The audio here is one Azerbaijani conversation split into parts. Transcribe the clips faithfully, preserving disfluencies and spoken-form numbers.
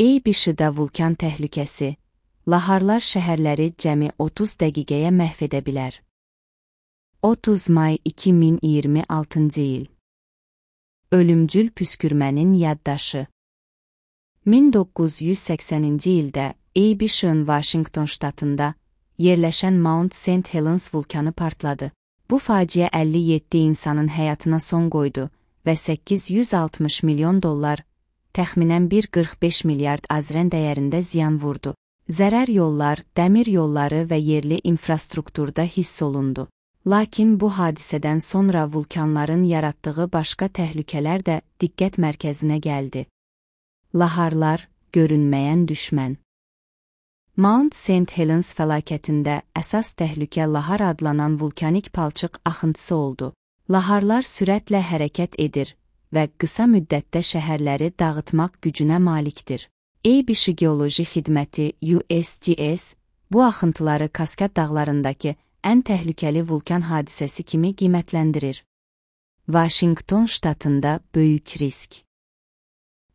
Eybişidə vulkan təhlükəsi. Laharlar şəhərləri cəmi otuz dəqiqəyə məhv edə bilər. otuz may iki min iyirmi altıncı il. Ölümcül püskürmənin yaddaşı. min doqquz yüz səksəninci ildə Eybişin Vaşinqton ştatında yerləşən Mount Saint Helens vulkanı partladı. Bu faciə əlli yeddi insanın həyatına son qoydu və səkkiz yüz altmış milyon dollar, təxminən bir nöqtə qırx beş milyard azrən dəyərində ziyan vurdu. Zərər yollar, dəmir yolları və yerli infrastrukturda hiss olundu. Lakin bu hadisədən sonra vulkanların yaratdığı başqa təhlükələr də diqqət mərkəzinə gəldi. Laharlar, görünməyən düşmən. Mount Saint Helens fəlakətində əsas təhlükə lahar adlanan vulkanik palçıq axıntısı oldu. Laharlar sürətlə hərəkət edir və qısa müddətdə şəhərləri dağıtmaq gücünə malikdir. Eybişi Geoloji Xidməti U S G S bu axıntıları Kaskad dağlarındakı ən təhlükəli vulkan hadisəsi kimi qiymətləndirir. Vaşinqton ştatında böyük risk.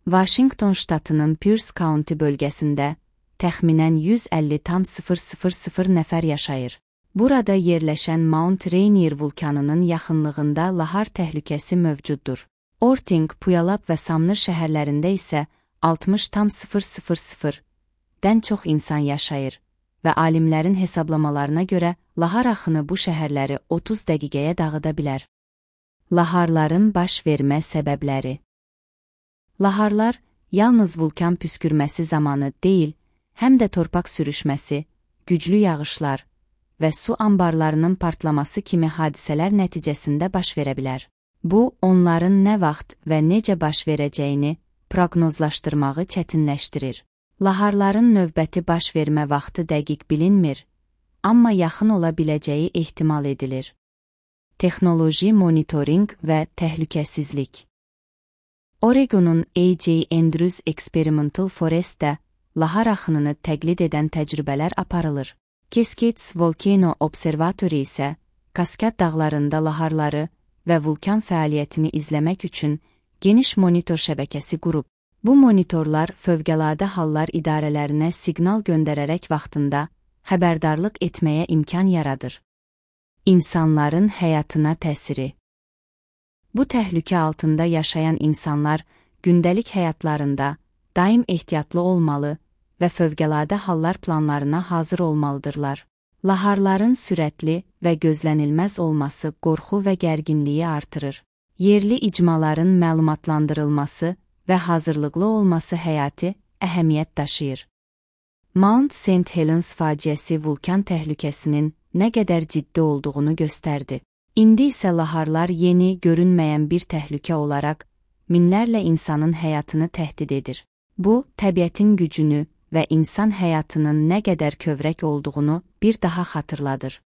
Vaşinqton ştatının Pierce County bölgəsində təxminən yüz əlli min nəfər yaşayır. Burada yerləşən Mount Rainier vulkanının yaxınlığında lahar təhlükəsi mövcuddur. Orting, Puyallup və Sumner şəhərlərində isə altmış min-dən çox insan yaşayır və alimlərin hesablamalarına görə lahar axını bu şəhərləri otuz dəqiqəyə dağıda bilər. Laharların baş vermə səbəbləri. Laharlar yalnız vulkan püskürməsi zamanı deyil, həm də torpaq sürüşməsi, güclü yağışlar və su anbarlarının partlaması kimi hadisələr nəticəsində baş verə bilər. Bu, onların nə vaxt və necə baş verəcəyini proqnozlaşdırmağı çətinləşdirir. Laharların növbəti baş vermə vaxtı dəqiq bilinmir, amma yaxın ola biləcəyi ehtimal edilir. Texnoloji monitorinq və təhlükəsizlik. Oregonun A J Andrews Experimental Forestdə lahar axınını təqlid edən təcrübələr aparılır. Cascades Volcano Observatory isə Kaskad dağlarında laharları və vulkan fəaliyyətini izləmək üçün geniş monitor şəbəkəsi qurub. Bu monitorlar Fövqəladə Hallar İdarələrinə siqnal göndərərək vaxtında xəbərdarlıq etməyə imkan yaradır. İnsanların həyatına təsiri. Bu təhlükə altında yaşayan insanlar gündəlik həyatlarında daim ehtiyatlı olmalı və fövqəladə hallar planlarına hazır olmalıdırlar. Laharların sürətli və gözlənilməz olması qorxu və gərginliyi artırır. Yerli icmaların məlumatlandırılması və hazırlıqlı olması həyati əhəmiyyət daşıyır. Mount Saint Helens faciəsi vulkan təhlükəsinin nə qədər ciddi olduğunu göstərdi. İndi isə laharlar yeni, görünməyən bir təhlükə olaraq minlərlə insanın həyatını təhdid edir. Bu, təbiətin gücünü və insan həyatının nə qədər kövrək olduğunu bir daha xatırladır.